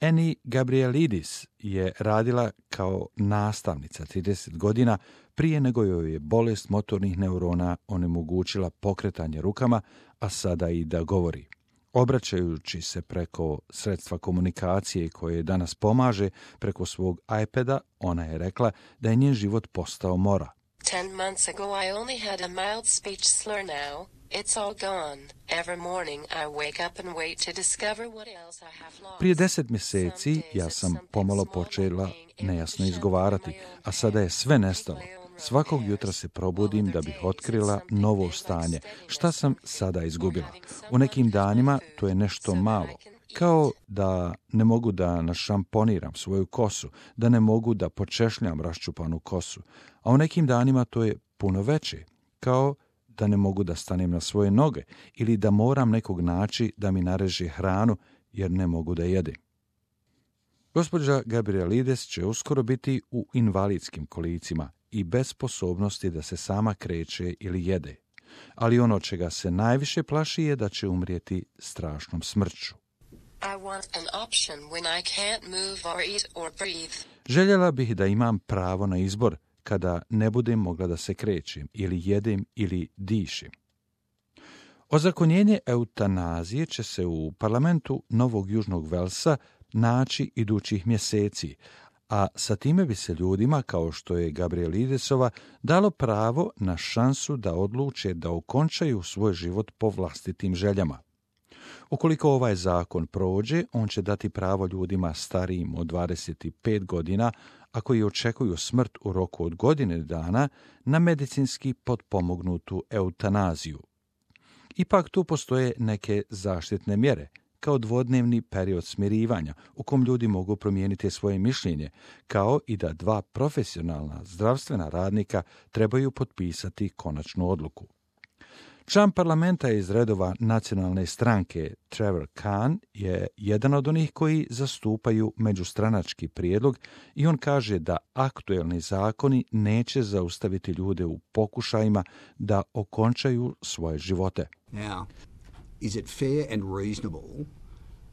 Annie Gabrielidis je radila kao nastavnica 30 godina prije nego joj je bolest motornih neurona onemogućila pokretanje rukama, a sada i da govori. Obraćajući se preko sredstva komunikacije koje danas pomaže preko svog iPada, ona je rekla da je njen život postao mora. 10 months ago I only had a mild speech slur now. It's all gone. Every morning I wake up and wait to discover what else I have lost. Prije 10 mjeseci ja sam pomalo počela nejasno izgovarati, a sada je sve nestalo. Svakog jutra se probudim da bih otkrila novo stanje. Šta sam sada izgubila? U nekim danima to je nešto malo. Kao da ne mogu da našamponiram svoju kosu, da ne mogu da počešljam raščupanu kosu. A u nekim danima to je puno veće. Kao da ne mogu da stanem na svoje noge ili da moram nekog naći da mi nareže hranu jer ne mogu da jedem. Gospođa Gabrielides će uskoro biti u invalidskim kolicima i bez sposobnosti da se sama kreće ili jede. Ali ono čega se najviše plaši je da će umrijeti strašnom smrću. I want an option when I can't move or eat or breathe. Željela bih da imam pravo na izbor kada ne budem mogla da se krećem ili jedem ili dišem. Ozakonjenje eutanazije će se u parlamentu Novog Južnog Velsa naći idućih mjeseci, a sa time bi se ljudima, kao što je Gabrielidesova, dalo pravo na šansu da odluče da okončaju svoj život po vlastitim željama. Ukoliko ovaj zakon prođe, on će dati pravo ljudima starijim od 25 godina, a koji očekuju smrt u roku od godine dana, na medicinski potpomognutu eutanaziju. Ipak tu postoje neke zaštitne mjere, kao dvodnevni period smirivanja u kom ljudi mogu promijeniti svoje mišljenje, kao i da 2 profesionalna zdravstvena radnika trebaju potpisati konačnu odluku. Član parlamenta iz redova nacionalne stranke Trevor Khan je jedan od onih koji zastupaju međustranački prijedlog i on kaže da aktuelni zakoni neće zaustaviti ljude u pokušajima da okončaju svoje živote. Now, is it fair and reasonable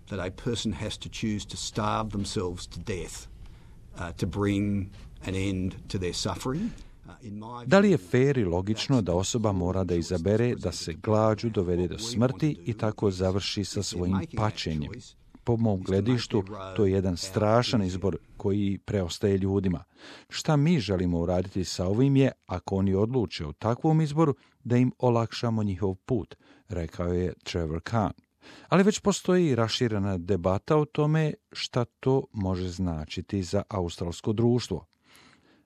that a person has to choose to starve themselves to death to bring an end to their suffering? Da li je fer i logično da osoba mora da izabere da se glađu dovede do smrti i tako završi sa svojim pačenjem? Po mom gledištu, to je jedan strašan izbor koji preostaje ljudima. Šta mi želimo uraditi sa ovim je, ako oni odluče o takvom izboru, da im olakšamo njihov put, rekao je Trevor Khan. Ali već postoji raširena debata o tome šta to može značiti za australsko društvo.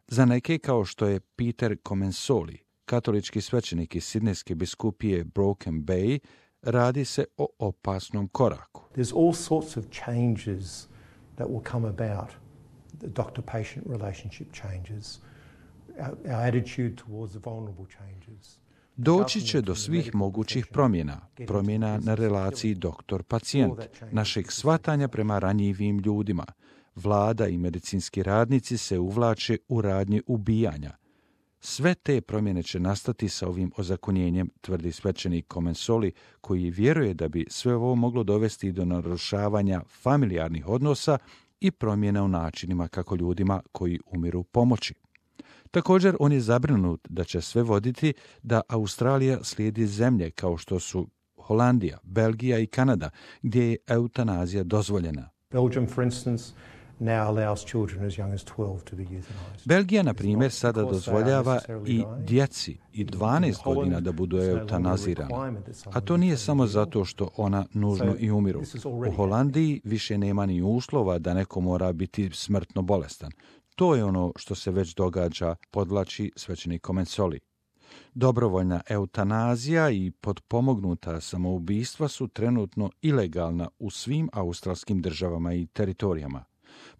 Za neke, kao što je Peter Comensoli, katolički svećenik iz Sidnejske biskupije Broken Bay, radi se o opasnom koraku. There's all sorts of changes that will come about. The doctor-patient relationship changes. Our attitude towards the vulnerable changes. Doći će do svih mogućih promjena na relaciji doktor-pacijent, našeg shvatanja prema ranjivim ljudima. Vlada i medicinski radnici se uvlače u radnje ubijanja. Sve te promjene će nastati sa ovim ozakonjenjem, tvrdi svećenik Comensoli, koji vjeruje da bi sve ovo moglo dovesti do narušavanja familijarnih odnosa i promjena u načinima kako ljudima koji umiru pomoći. Također, on je zabrinut da će sve voditi da Australija slijedi zemlje kao što su Holandija, Belgija i Kanada, gdje je eutanazija dozvoljena. Belgium, for instance, now allows children as young as 12 to be euthanized. Belgija, na primjer, sada dozvoljava i djeci i 12 godina da budu eutanazirana. A to nije samo zato što ona nužno i umiru. U Holandiji više nema ni uslova da neko mora biti smrtno bolestan. To je ono što se već događa, podvlači svećenik Comensoli. Dobrovoljna eutanazija i potpomognuta samoubistva su trenutno ilegalna u svim australskim državama i teritorijama.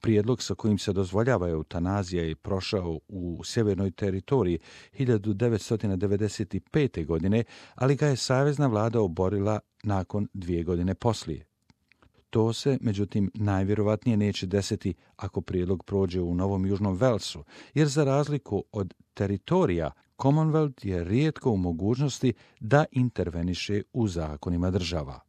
Prijedlog sa kojim se dozvoljava eutanazija je prošao u sjevernoj teritoriji 1995. godine, ali ga je savezna vlada oborila nakon 2 godine poslije. To se, međutim, najvjerovatnije neće desiti ako prijedlog prođe u Novom Južnom Velsu, jer za razliku od teritorija, Commonwealth je rijetko u mogućnosti da interveniše u zakonima država.